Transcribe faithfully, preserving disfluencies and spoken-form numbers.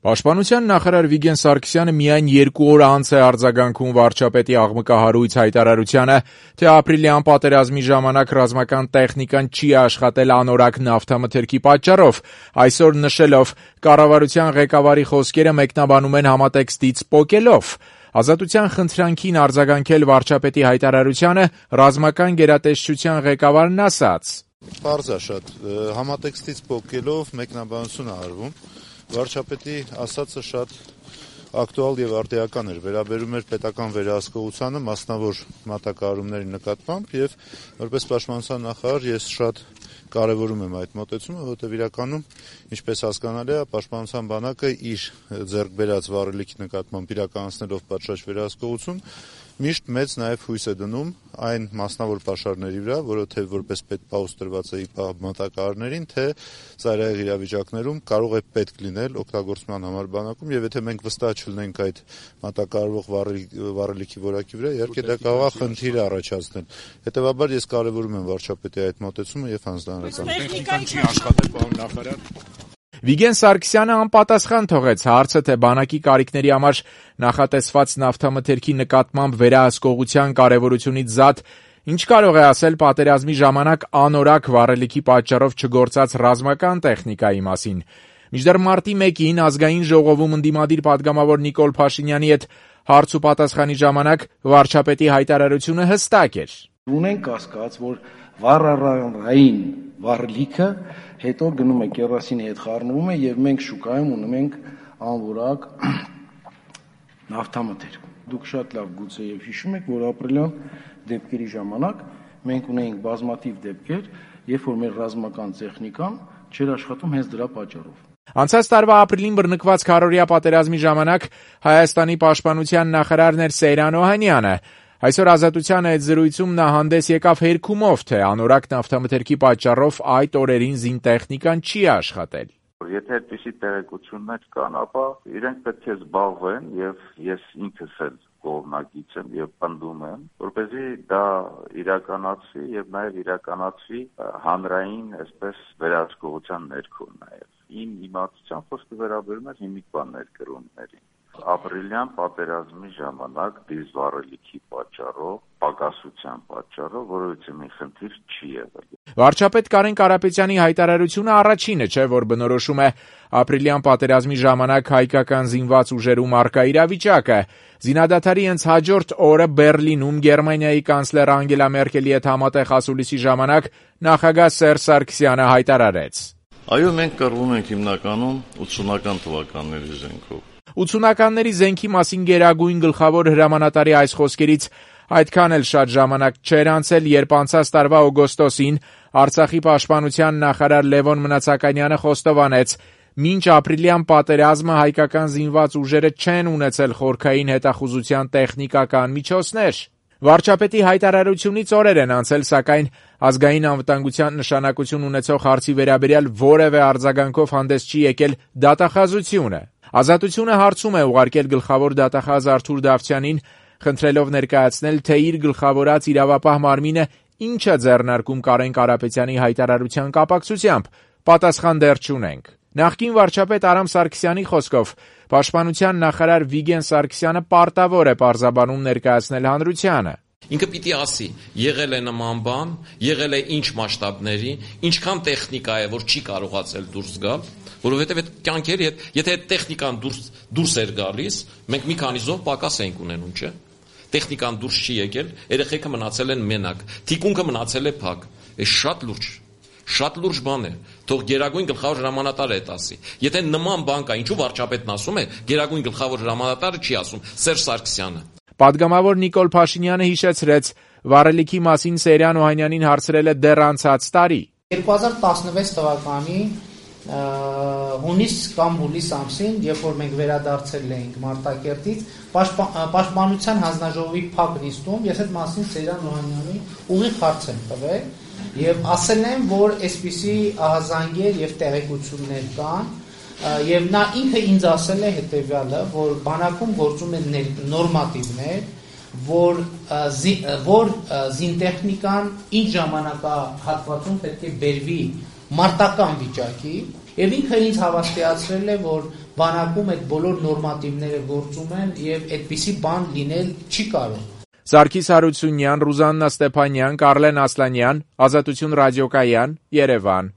Պաշտպանության նախարար Վիգեն Սարգսյանը միայն երկու օր անց է արձագանքում վարչապետի աղմկահարույց հայտարարությանը, թե ապրիլյան պատերազմի ժամանակ ռազմական տեխնիկան չի աշխատել անորակ նավթամթերքի պատճառով, այսօր նշելով կառավարության ղեկավարի խոսքերը մեկնաբանում են համատեքստից պոկելով։ Ազատության խնդրանքին արձագանքել վարչապետի հայտարարությանը ռազմական գերատեսչության ղեկավարն ասաց. Պարզ է շատ, համատեքստից պոկելով մեկնաբանություն է արվում։ Վարչապետի ասածը շատ ակտուալ եւ արդիական էր, վերաբերում էր պետական վերահսկողությանը, մասնավոր մատակարարումների նկատմամբ եւ որպես պաշտպանության նախարար ես շատ կարեւորում եմ այդ մոտեցումը, որովհետեւ իրականում, ինչպես հասկանալի է, պաշտպանության բանակը իր ձեռք բերած վառելիքի նկատմամբ իրականացնելով պատշաճ վերահսկողություն միշտ մեծ նաև հույս է դնում այն մասնավոր պաշարների վրա, որովհետև որպես պետպահուս տրված է ԻՊԱ մատակարարներին, թե ծայրահեղ իրավիճակներում կարող է պետք լինել օգտագործման համար բանակում, եւ եթե մենք վստահ չլինենք այդ մատակարարվող վառելիքի որակի վրա, իհարկե դա կարող է խնդիր առաջացնել։ Հետևաբար ես կարևորում եմ վարչապետի այդ մոտեցումը եւ հանձնարարական։ Տեխնիկան չի աշխատել, պարոն նախարար։ Վիգեն Սարգսյանը անպատասխան թողեց հարցը, թե բանակի կարիքների համար նախատեսված նավթամթերքի նկատմամբ վերահսկողության կարևորությունից զատ ինչ կարող է ասել պատերազմի ժամանակ անորակ վառելիքի պատճառով չգործած ռազմական տեխնիկայի մասին։ Մինչդեռ մարտի մեկին ազգային ժողովում ընդդիմադիր պատգամավոր Նիկոլ Փաշինյանի հետ հարց ու պատասխանի ժամանակ վարչապետի հայտարարությունը հստակ էր։ Ունենք կասկած, որ վառարային վառելիքը հետո գնում է կերոսինի հետ խառնվում է եւ մենք շուկայում ունենք ենք անորակ նավթամթերք։ Դուք շատ լավ գուցե եւ հիշում եք, որ ապրիլյան դեպքերի ժամանակ մենք ունեինք բազմաթիվ դեպքեր, երբ որ մեր ռազմական տեխնիկան չէր աշխատում հենց դրա պատճառով։ Անցած տարվա ապրիլին բռնկված քառօրյա պատերազմի ժամանակ Հայաստանի պաշտպանության նախարարն էր Սեյրան Օհանյանը։ Այսօր Ազատության այդ զրույցում նա հանդես եկավ հերքումով, թե անորակ նավթամթերքի պատճառով այդ օրերին զինտեխնիկան չի աշխատել։ Եթե այդպիսի տեղեկություններ կան, ապա իրենք պետք է զբաղվեն եւ ես ինքս էլ կողմնակից եմ եւ պնդում եմ, որպեսզի դա իրականացվի եւ նաեւ իրականացվի հանրային, այսպես վերահսկողության ներքո նաեւ։ Իմ իմացությամբ խոսքը վերաբերում է հիմիկվան ներկրումներին։ Ապրիլյան պատերազմի ժամանակ դիզվառելիքի պատճառով, պակասության պատճառով որևիցե մի խնդիր չի եղել։ Վարչապետ Կարեն Կարապետյանի հայտարարությունը առաջինը չէ, որ բնորոշում է ապրիլյան պատերազմի ժամանակ հայկական զինված ուժերում առկա իրավիճակը։ Զինադադարի հենց հաջորդ օրը Բեռլինում Գերմանիայի կանցլեր Անգելա Մերկելի հետ համատեղ ասուլիսի ժամանակ նախագահ Սերժ Սարգսյանը հայտարարեց. Այո, մենք կռվում ենք հիմնականում ութսունական թվականների զենքով։ ութսունականների զենքի մասին գերագույն գլխավոր հրամանատարի այս խոսքերից այդքան էլ շատ ժամանակ չէր անցել, երբ անցած տարվա օգոստոսին Արցախի պաշտպանության նախարար Լևոն Մնացականյանը խոստովանեց. մինչ ապրիլյան պատերազմը հայկական զինված ուժերը չեն ունեցել խորքային հետախուզության տեխնիկական միջոցներ։ Վարչապետի հայտարարությունից օրեր են անցել, սակայն ազգային անվտանգության նշանակություն ունեցող հարցի վերաբերյալ որևէ արձագանքով հանդես չի եկել դատախազությունը։ Ազատությունը հարցում է ուղարկել գլխավոր դատախազ Արթուր Դավթյանին, խնդրելով ներկայացնել, թե իր գլխավորած իրավապահ մարմինը ինչ է ձեռնարկում Կարեն Կարապետյանի հայտարարության կապակցությամբ։ Պատասխան դեռ չունենք։ Նախկին վարչապետ Արամ Սարգսյանի խոսքով պաշտպանության նախարար Վիգեն Սարգսյանը պարտավոր է պարզաբանում ներկայացնել հանրությանը։ Ինքը պիտի ասի, եղել է նման բան, եղել է ինչ մասշտաբների, ինչքան տեխնիկա է, որ չի կարողացել դուրս գալ, որովհետև այդ կյանքերի հետ, եթե այդ տեխնիկան դուրս դուրս էր գալիս, մենք մի քանի զոհ պակաս ենք ունենում, չէ՞։ Տեխնիկան դուրս չի եկել, երեխեքը մնացել են մենակ, թիկունքը մնացել է փակ։ Այս շատ լուրջ, շատ լուրջ բան է։ Թող գերագույն գլխավոր հրամանատարը այդ ասի։ Եթե նման բան կա, ինչու վարչապետն ասում է, գերագույն գլխավոր հրամանատարը չի ասում, Սերժ Սարգսյանը։ Պատգամավոր Նիկոլ Փաշինյանը հիշեցրեց, վառելիքի մասին Սեյրան Օհանյանին հարցրել է դեռ անցած տարի։ երկու հազար տասնվեց թվականի հունիս կամ հուլիս ամսին, երբ որ մենք վերադարձել էինք Մարտակերտից, պաշտպանության հանձնաժողովի փակ նիստում ես այդ մասին Սեյրան Օհանյանի ուղիղ հարց եմ տվել եւ ասել եմ, որ այսպիսի ահազանգեր եւ տեղեկություններ կան եւ նա ինքը ինձ ասել է հետեւյալը, որ բանակում գործում են նորմատիվներ, որ զի, որ զինտեխնիկան ինչ ժամանակահատվածում պետք է բերվի մարտական վիճակի եւ ինքը ինձ հավաստիացրել է, որ բանակում այդ բոլոր նորմատիվները գործում են եւ այդպիսի բան լինել չի կարող։ Սարգիս Հարությունյան, Ռուզաննա Ստեփանյան, Կարլեն Ասլանյան, Ազատություն ռադիոկայան, Երևան։